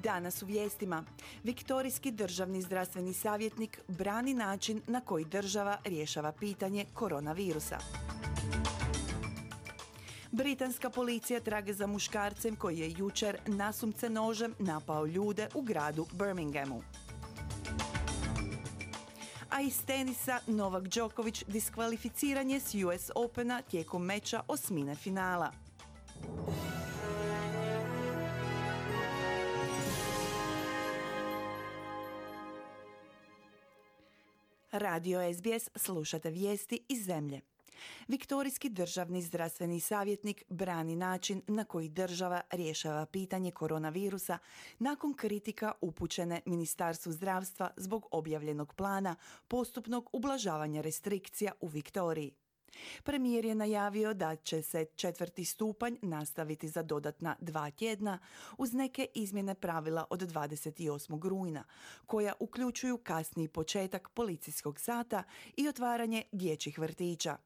Danas u vijestima. Viktorijski državni zdravstveni savjetnik brani način na koji država rješava pitanje koronavirusa. Britanska policija traga za muškarcem koji je jučer nasumce nožem napao ljude u gradu Birminghamu. A iz tenisa Novak Djokovic diskvalificiran je s US Opena tijekom meča osmine finala. Radio SBS, slušate vijesti iz zemlje. Viktorijski državni zdravstveni savjetnik brani način na koji država rješava pitanje koronavirusa nakon kritika upućene Ministarstvu zdravstva zbog objavljenog plana postupnog ublažavanja restrikcija u Viktoriji. Premijer je najavio da će se 4. stupanj nastaviti za dodatna 2 tjedna uz neke izmjene pravila od 28. rujna, koja uključuju kasniji početak policijskog sata i otvaranje dječjih vrtića.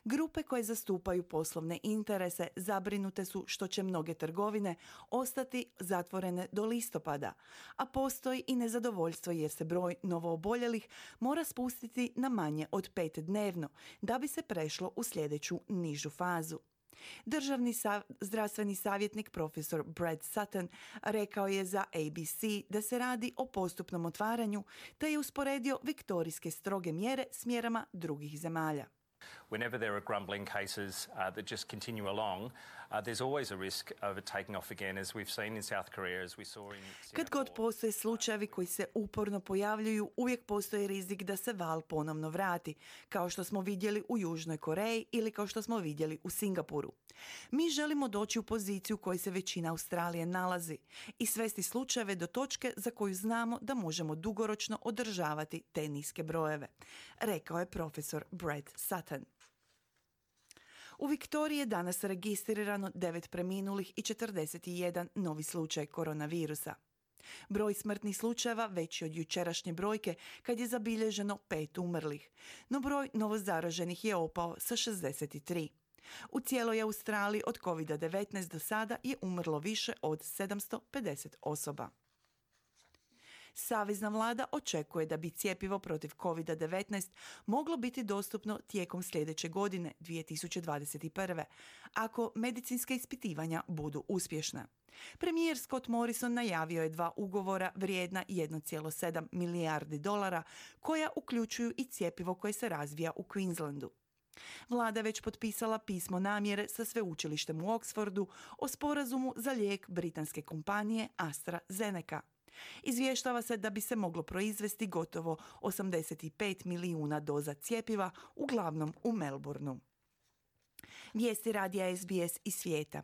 Grupe koje zastupaju poslovne interese zabrinute su što će mnoge trgovine ostati zatvorene do listopada, a postoji i nezadovoljstvo jer se broj novooboljelih mora spustiti na manje od 5 dnevno da bi se prešlo u sljedeću nižu fazu. Državni zdravstveni savjetnik profesor Brad Sutton rekao je za ABC da se radi o postupnom otvaranju te je usporedio viktorijske stroge mjere s mjerama drugih zemalja. Whenever there are grumbling cases that just continue along, there's always a risk of it taking off again, as we've seen in South Korea, as we saw in Singapore. Kad god postoje slučajevi koji se uporno pojavljuju, uvijek postoji rizik da se val ponovno vrati, kao što smo vidjeli u Južnoj Koreji ili kao što smo vidjeli u Singapuru. Mi želimo doći u poziciju u kojoj se većina Australije nalazi i svesti slučajeve do točke za koju znamo da možemo dugoročno održavati te niske brojeve, rekao je profesor Brad Sutton. U Viktoriji je danas registrirano 9 preminulih i 41 novi slučaj koronavirusa. Broj smrtnih slučajeva veći od jučerašnje brojke kad je zabilježeno 5 umrlih, no broj novozaraženih je opao sa 63. U cijeloj Australiji od COVID-19 do sada je umrlo više od 750 osoba. Savezna vlada očekuje da bi cjepivo protiv COVID-19 moglo biti dostupno tijekom sljedeće godine, 2021. ako medicinska ispitivanja budu uspješna. Premijer Scott Morrison najavio je 2 ugovora vrijedna 1,7 milijardi dolara koja uključuju i cjepivo koje se razvija u Queenslandu. Vlada je već potpisala pismo namjere sa sveučilištem u Oxfordu o sporazumu za lijek britanske kompanije AstraZeneca. Izvještava se da bi se moglo proizvesti gotovo 85 milijuna doza cjepiva, uglavnom u Melbourneu. Vijesti radija SBS iz svijeta.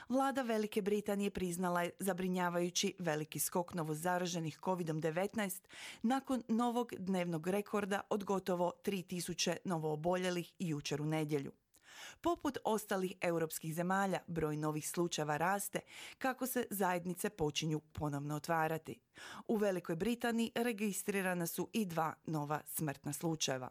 Vlada Velike Britanije priznala je zabrinjavajući veliki skok novozaraženih COVID-19 nakon novog dnevnog rekorda od gotovo 3000 novooboljelih jučer u nedjelju. Poput ostalih europskih zemalja, broj novih slučajeva raste kako se zajednice počinju ponovno otvarati. U Velikoj Britaniji registrirana su i 2 nova smrtna slučajeva.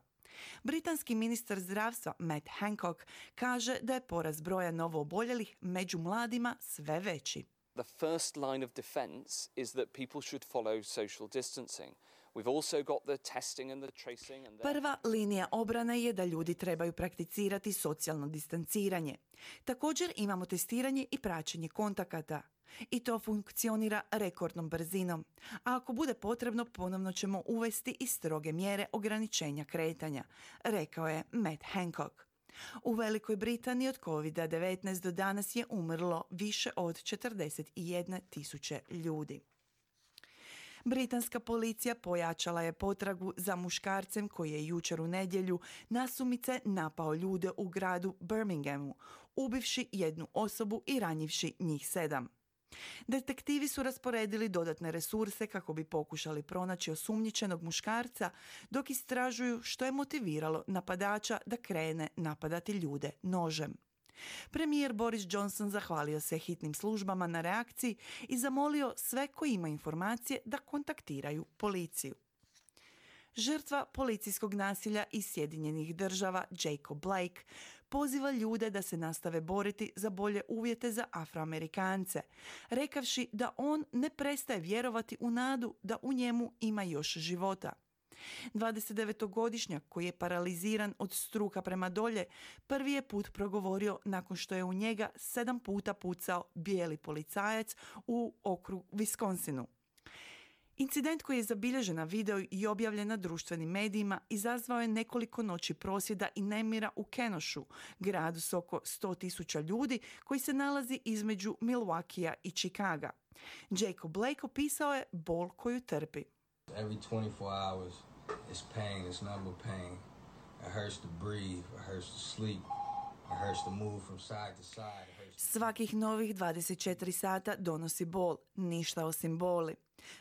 Britanski ministar zdravstva Matt Hancock kaže da je porast broja novooboljelih među mladima sve veći. The first line of defense is that people should follow social distancing. We've also got the testing and the tracing and Prva linija obrane je da ljudi trebaju prakticirati socijalno distanciranje. Također imamo testiranje i praćenje kontakata. I to funkcionira rekordnom brzinom. A ako bude potrebno, ponovno ćemo uvesti i stroge mjere ograničenja kretanja, rekao je Matt Hancock. U Velikoj Britaniji od COVID-19 do danas je umrlo više od 41.000 ljudi. Britanska policija pojačala je potragu za muškarcem koji je jučer u nedjelju nasumice napao ljude u gradu Birminghamu, ubivši 1 osobu i ranjivši njih 7. Detektivi su rasporedili dodatne resurse kako bi pokušali pronaći osumnjičenog muškarca dok istražuju što je motiviralo napadača da krene napadati ljude nožem. Premijer Boris Johnson zahvalio se hitnim službama na reakciji i zamolio sve koji imaju informacije da kontaktiraju policiju. Žrtva policijskog nasilja iz Sjedinjenih Država, Jacob Blake, poziva ljude da se nastave boriti za bolje uvjete za Afroamerikance, rekavši da on ne prestaje vjerovati u nadu da u njemu ima još života. 29-godišnjak koji je paraliziran od struka prema dolje prvi je put progovorio nakon što je u njega 7 puta pucao bijeli policajac u okrugu Wisconsinu. Incident koji je zabilježen na video i objavljen na društvenim medijima izazvao je nekoliko noći prosvjeda i nemira u Kenoshu, gradu s oko 100.000 ljudi koji se nalazi između Milwaukeea i Chicaga. Jacob Blake opisao je bol koju trpi. Every 24 hours is pain, it's number pain. It hurts to breathe, it hurts to sleep, it hurts to move from side to side. Svakih novih 24 sata donosi bol, ništa osim boli.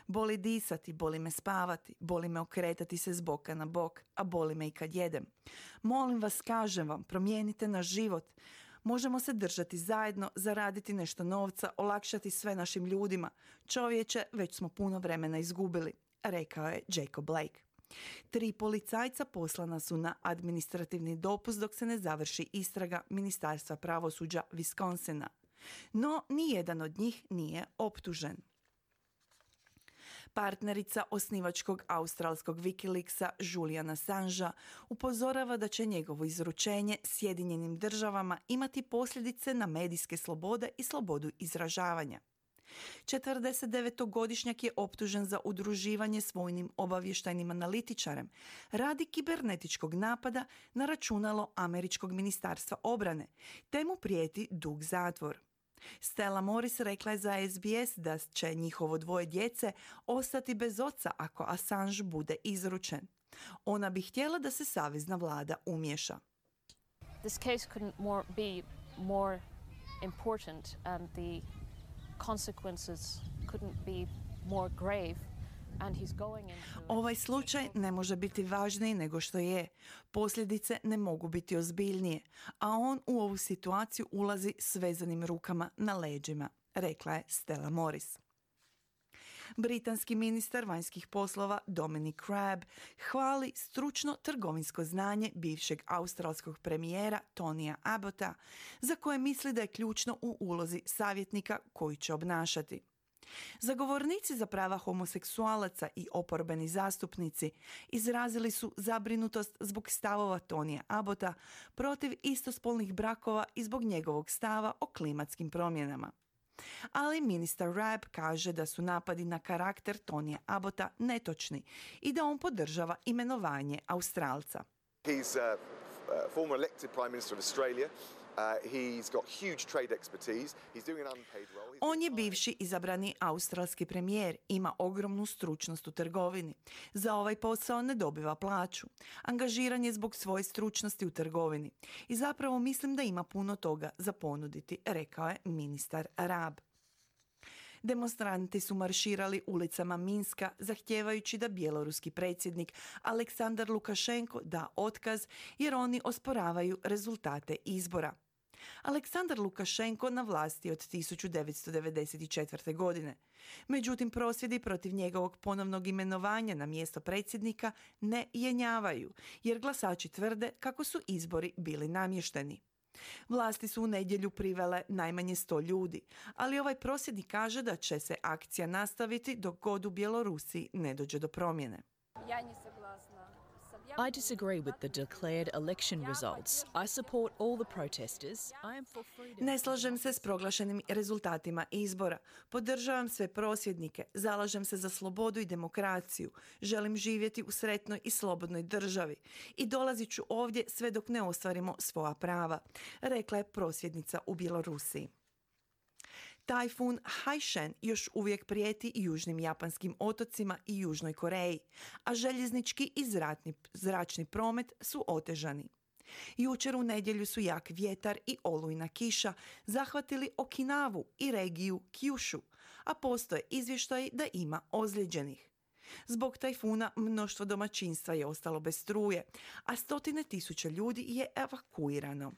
Boli disati, boli me spavati, boli me okretati se s boka na bok, a boli me i kad jedem. Molim vas, kažem vam, promijenite naš život. Možemo se držati zajedno, zaraditi nešto novca, olakšati sve našim ljudima. Čovječe, već smo puno vremena izgubili, rekao je Jacob Blake. 3 policajca poslana su na administrativni dopust dok se ne završi istraga Ministarstva pravosuđa Wisconsina. No, nijedan od njih nije optužen. Partnerica osnivačkog australskog Wikileaksa Juliana Assangea upozorava da će njegovo izručenje Sjedinjenim državama imati posljedice na medijske slobode i slobodu izražavanja. 49-godišnjak je optužen za udruživanje s vojnim obavještajnim analitičarem radi kibernetičkog napada na računalo Američkog ministarstva obrane, te mu prijeti dug zatvor. Stella Morris rekla je za SBS da će njihovo 2 djece ostati bez oca ako Assange bude izručen. Ona bi htjela da se savezna vlada umješa. This case couldn't be more important and the consequences couldn't be more grave. Ovaj slučaj ne može biti važniji nego što je. Posljedice ne mogu biti ozbiljnije, a on u ovu situaciju ulazi s vezanim rukama na leđima, rekla je Stella Morris. Britanski ministar vanjskih poslova Dominic Raab hvali stručno trgovinsko znanje bivšeg australskog premijera Tonya Abbotta, za koje misli da je ključno u ulozi savjetnika koji će obnašati. Zagovornici za prava homoseksualaca i oporbeni zastupnici izrazili su zabrinutost zbog stavova Tonya Abbotta protiv istospolnih brakova i zbog njegovog stava o klimatskim promjenama. Ali ministar Raab kaže da su napadi na karakter Tonya Abbotta netočni i da on podržava imenovanje Australca. He's former elected Prime Minister of Australia. He's got huge trade expertise. He's doing an unpaid role. On je bivši izabrani australski premijer, ima ogromnu stručnost u trgovini. Za ovaj posao ne dobiva plaću. Angažiran je zbog svoje stručnosti u trgovini. I zapravo mislim da ima puno toga za ponuditi, rekao je ministar Raab. Demonstranti su marširali ulicama Minska zahtijevajući da bjeloruski predsjednik Aleksandar Lukašenko da otkaz jer oni osporavaju rezultate izbora. Aleksandar Lukašenko na vlasti od 1994. godine. Međutim, prosvjedi protiv njegovog ponovnog imenovanja na mjesto predsjednika ne jenjavaju, jer glasači tvrde kako su izbori bili namješteni. Vlasti su u nedjelju privele najmanje 100 ljudi, ali ovaj prosvjednik kaže da će se akcija nastaviti dok god u Bjelorusiji ne dođe do promjene. I disagree with the declared election results. I support all the protesters. I am for freedom. Ne slažem se s proglašenim rezultatima izbora. Podržavam sve prosvjednike. Zalažem se za slobodu i demokraciju. Želim živjeti u sretnoj i slobodnoj državi. I dolazit ću ovdje sve dok ne ostvarimo svoja prava, rekla je prosvjednica u Bjelorusiji. Tajfun Haishen još uvijek prijeti južnim japanskim otocima i Južnoj Koreji, a željeznički i zračni promet su otežani. Jučer u nedjelju su jak vjetar i olujna kiša zahvatili Okinavu i regiju Kyushu, a postoje izvještaji da ima ozlijeđenih. Zbog tajfuna mnoštvo domaćinstva je ostalo bez struje, a 100.000 ljudi je evakuirano.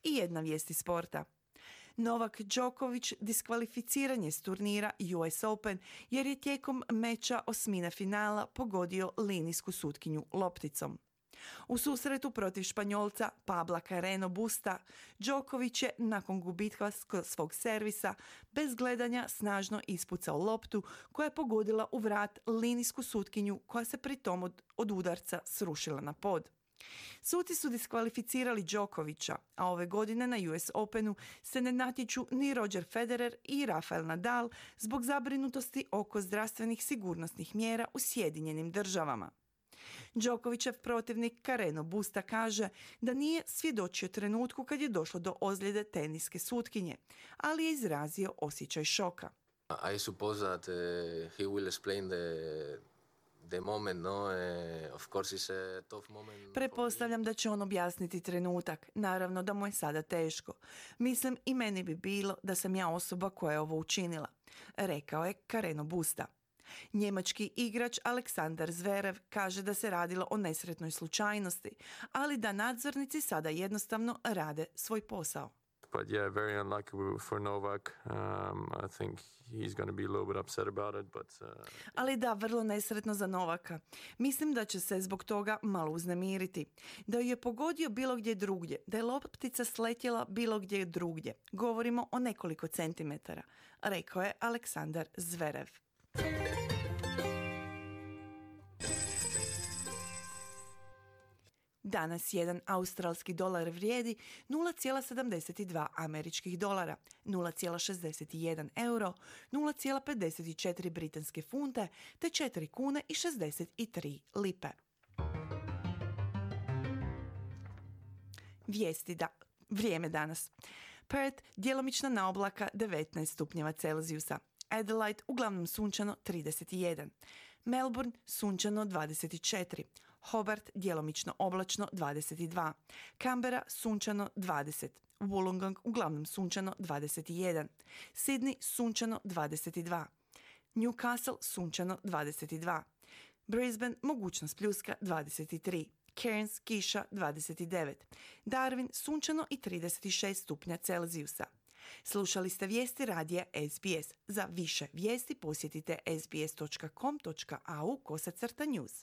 I jedna vijest iz sporta. Novak Djokovic diskvalificiran je s turnira US Open jer je tijekom meča osmine finala pogodio linijsku sutkinju lopticom. U susretu protiv Španjolca Pabla Carreno Busta, Djokovic je nakon gubitka svog servisa bez gledanja snažno ispucao loptu koja je pogodila u vrat linijsku sutkinju koja se pritom od udarca srušila na pod. Suci su diskvalificirali Djokovića, a ove godine na US Openu se ne natječu ni Roger Federer i Rafael Nadal zbog zabrinutosti oko zdravstvenih sigurnosnih mjera u Sjedinjenim Državama. Djokovicov protivnik Carreno Busta kaže da nije svjedočio trenutku kad je došlo do ozljede teniske sutkinje, ali je izrazio osjećaj šoka. I suppose that he will explain the moment, no? Of course it's a tough moment. Pretpostavljam da će on objasniti trenutak. Naravno da mu je sada teško. Mislim i meni bi bilo da sam ja osoba koja je ovo učinila, rekao je Carreno Busta. Njemački igrač Aleksandar Zverev kaže da se radilo o nesretnoj slučajnosti, ali da nadzornici sada jednostavno rade svoj posao. But yeah, very unlucky for Novak. I think he's going to be a little bit upset about it, but Ali da, vrlo nesretno za Novaka. Mislim da će se zbog toga malo uznemiriti. Da ju je pogodio bilo gdje drugdje, da je loptica sletjela bilo gdje drugdje. Govorimo o nekoliko centimetara, rekao je Aleksandar Zverev. Danas jedan australski dolar vrijedi 0,72 američkih dolara, 0,61 euro, 0,54 britanske funte te 4 kune i 63 lipe. Vrijeme danas. Perth djelomična naoblaka 19 stupnjeva Celzijusa. Adelaide uglavnom sunčano 31. Melbourne sunčano 24. Hobart djelomično oblačno 22. Canberra sunčano 20. Wollongong uglavnom sunčano 21. Sydney sunčano 22. Newcastle sunčano 22. Brisbane mogućnost pljuska 23. Cairns kiša 29. Darwin sunčano i 36 stupnja Celzijusa. Slušali ste vijesti radija SBS. Za više vijesti posjetite sbs.com.au/news.